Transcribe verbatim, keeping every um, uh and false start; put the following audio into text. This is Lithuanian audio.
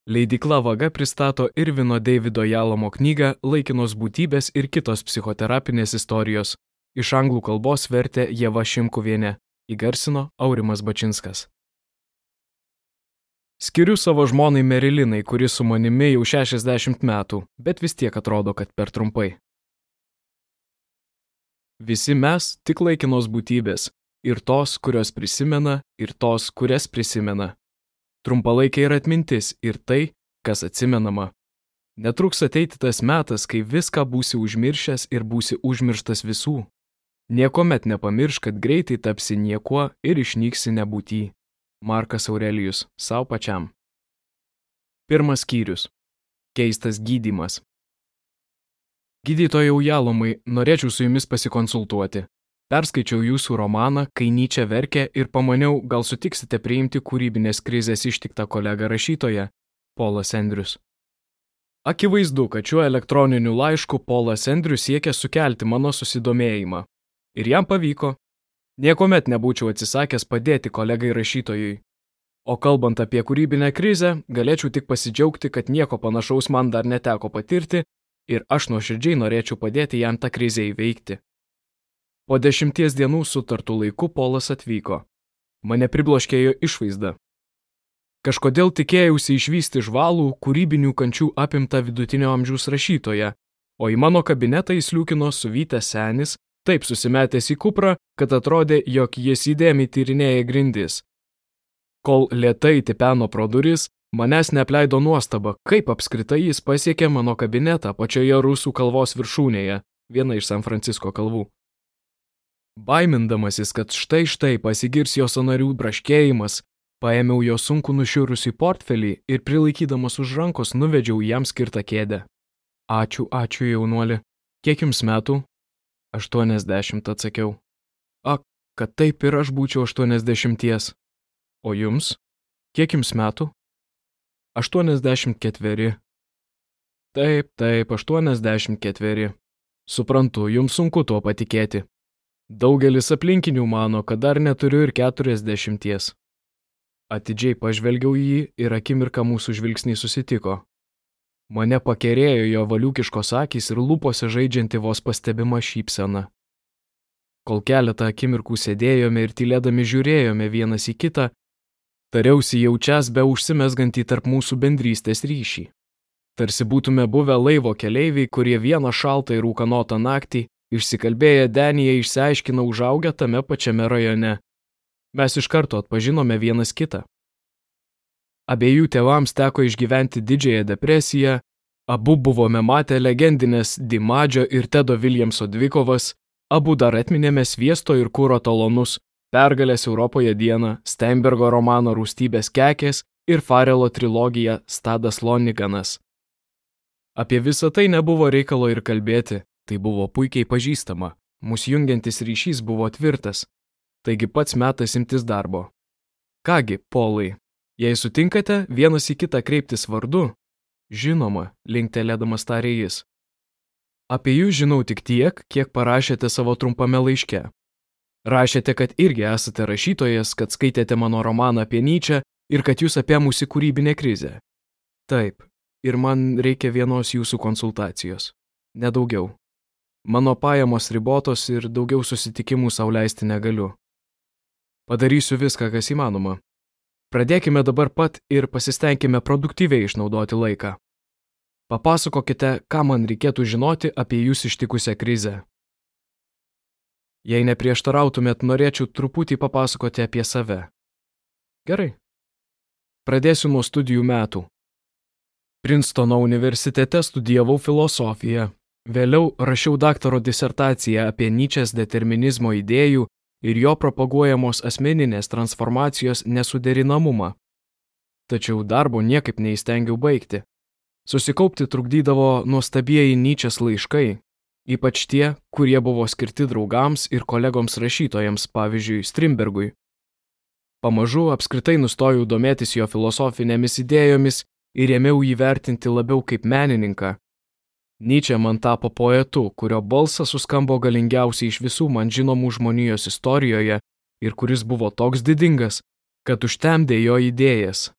Leidykla Vaga pristato Irvino Davido Jalamo knygą Laikinos būtybės ir kitos psichoterapinės istorijos. Iš anglų kalbos vertė Ieva Šimkuvienė, įgarsino Aurimas Bačinskas. Skiriu savo žmonai Merilinai, kuri su manimi jau šešiasdešimt metų, bet vis tiek atrodo, kad per trumpai. Visi mes tik laikinos būtybės, ir tos, kurios prisimena, ir tos, kurias prisimena. Trumpalaikiai yra atmintis ir tai, kas atsimenama. Netruks ateiti tas metas, kai viską būsi užmiršęs ir būsi užmirštas visų. Niekuomet nepamiršk, kad greitai tapsi niekuo ir išnyksi nebūty. Markas Aurelijus, sau pačiam. Pirmas skyrius. Keistas gydymas. Gydytojau Jalomai, norėčiau su jumis pasikonsultuoti. Perskaičiau jūsų romaną, kai Nyčė verkė ir pamaniau, gal sutiksite priimti kūrybinės krizės ištiktą kolegą rašytoją, Polas Andrius. Akivaizdu, kad šiuo elektroniniu laišku Polas Andrius siekia sukelti mano susidomėjimą. Ir jam pavyko. Niekuomet nebūčiau atsisakęs padėti kolegai rašytojui. O kalbant apie kūrybinę krizę, galėčiau tik pasidžiaugti, kad nieko panašaus man dar neteko patirti ir aš nuoširdžiai norėčiau padėti jam tą krizę įveikti. Po dešimties dienų sutartų laiku Polas atvyko. Mane pribloškė jo išvaizda. Kažkodėl tikėjausi išvysti žvalų, kūrybinių kančių apimtą vidutinio amžiaus rašytoją, o į mano kabinetą įsliūkino suvytęs senis, taip susimetęs į kuprą, kad atrodė, jog jis įdėmiai tyrinėja grindis. Kol lėtai tipeno pro duris, manęs neapleido nuostaba, kaip apskritai jis pasiekė mano kabinetą pačioje rusų kalvos viršūnėje, viena iš San Francisko kalvų. Baimindamasis, kad štai štai pasigirs jo sąnarių braškėjimas, paėmiau jo sunku nušiurusį portfelį ir prilaikydamas už rankos nuvedžiau jam skirtą kėdę. Ačiū, ačiū jaunuoli. Kiek jums metų? Aštuoniasdešimt, atsakiau. Ak, kad taip ir aš būčiau aštuoniasdešimties. O jums? Kiek jums metų? Aštuoniasdešimt ketveri. Taip, taip, aštuoniasdešimt ketveri. Suprantu, jums sunku tuo patikėti. Daugelis aplinkinių mano, kad dar neturiu ir keturiasdešimties. Atidžiai pažvelgiau jį ir akimirką mūsų žvilgsniai susitiko. Mane pakerėjo jo valiukiškos akys ir lūpose žaidžianti vos pastebima šypsena. Kol keletą akimirkų sėdėjome ir tylėdami žiūrėjome vienas į kitą, tariausi jaučias be užsimesgantį tarp mūsų bendrystės ryšį. Tarsi būtume buvę laivo keleiviai, kurie vieną šaltą ir ūkanotą naktį išsikalbėję Denyje išsiaiškino užaugę tame pačiame rajone. Mes iš karto atpažinome vienas kitą. Abiejų tėvams teko išgyventi didžiąją depresiją, abu buvome matę legendinės Dimadžio ir Tedo Williamso dvikovas, abu dar atminėme sviesto ir kuro talonus, Pergalės Europoje dieną, Steinbergo romaną Rūstybės kekės ir Farelo trilogiją Stadas Loniganas. Apie visą tai nebuvo reikalo ir kalbėti. Tai buvo puikiai pažįstama, mūsų jungiantis ryšys buvo tvirtas, taigi pats metas imtis darbo. Kągi, Polai, jei sutinkate vienas į kitą kreiptis vardu, žinoma, linktelėdamas tarė jis. Apie jūs žinau tik tiek, kiek parašėte savo trumpame laiške. Rašėte, kad irgi esate rašytojas, kad skaitėte mano romaną apie Nyčę ir kad jūs apėmusi kūrybinę krizę. Taip, ir man reikia vienos jūsų konsultacijos. Nedaugiau. Mano pajamos ribotos ir daugiau susitikimų sau leisti negaliu. Padarysiu viską, kas įmanoma. Pradėkime dabar pat ir pasistengkime produktyviai išnaudoti laiką. Papasakokite, ką man reikėtų žinoti apie jūs ištikusią krizę. Jei neprieštarautumėt, norėčiau truputį papasakoti apie save. Gerai. Pradėsiu nuo studijų metų. Princetono universitete studijavau filosofiją. Vėliau rašiau daktaro disertaciją apie Nyčės determinizmo idėjų ir jo propaguojamos asmeninės transformacijos nesuderinamumą. Tačiau darbo niekaip neįstengiau baigti. Susikaupti trukdydavo nuostabieji Nyčės laiškai, ypač tie, kurie buvo skirti draugams ir kolegoms rašytojams, pavyzdžiui, Strindbergui. Pamažu apskritai nustojau domėtis jo filosofinėmis idėjomis ir ėmiau jį vertinti labiau kaip menininką. Nyčė man tapo poetu, kurio balsas suskambo galingiausiai iš visų man žinomų žmonijos istorijoje ir kuris buvo toks didingas, kad užtemdė jo idėjas.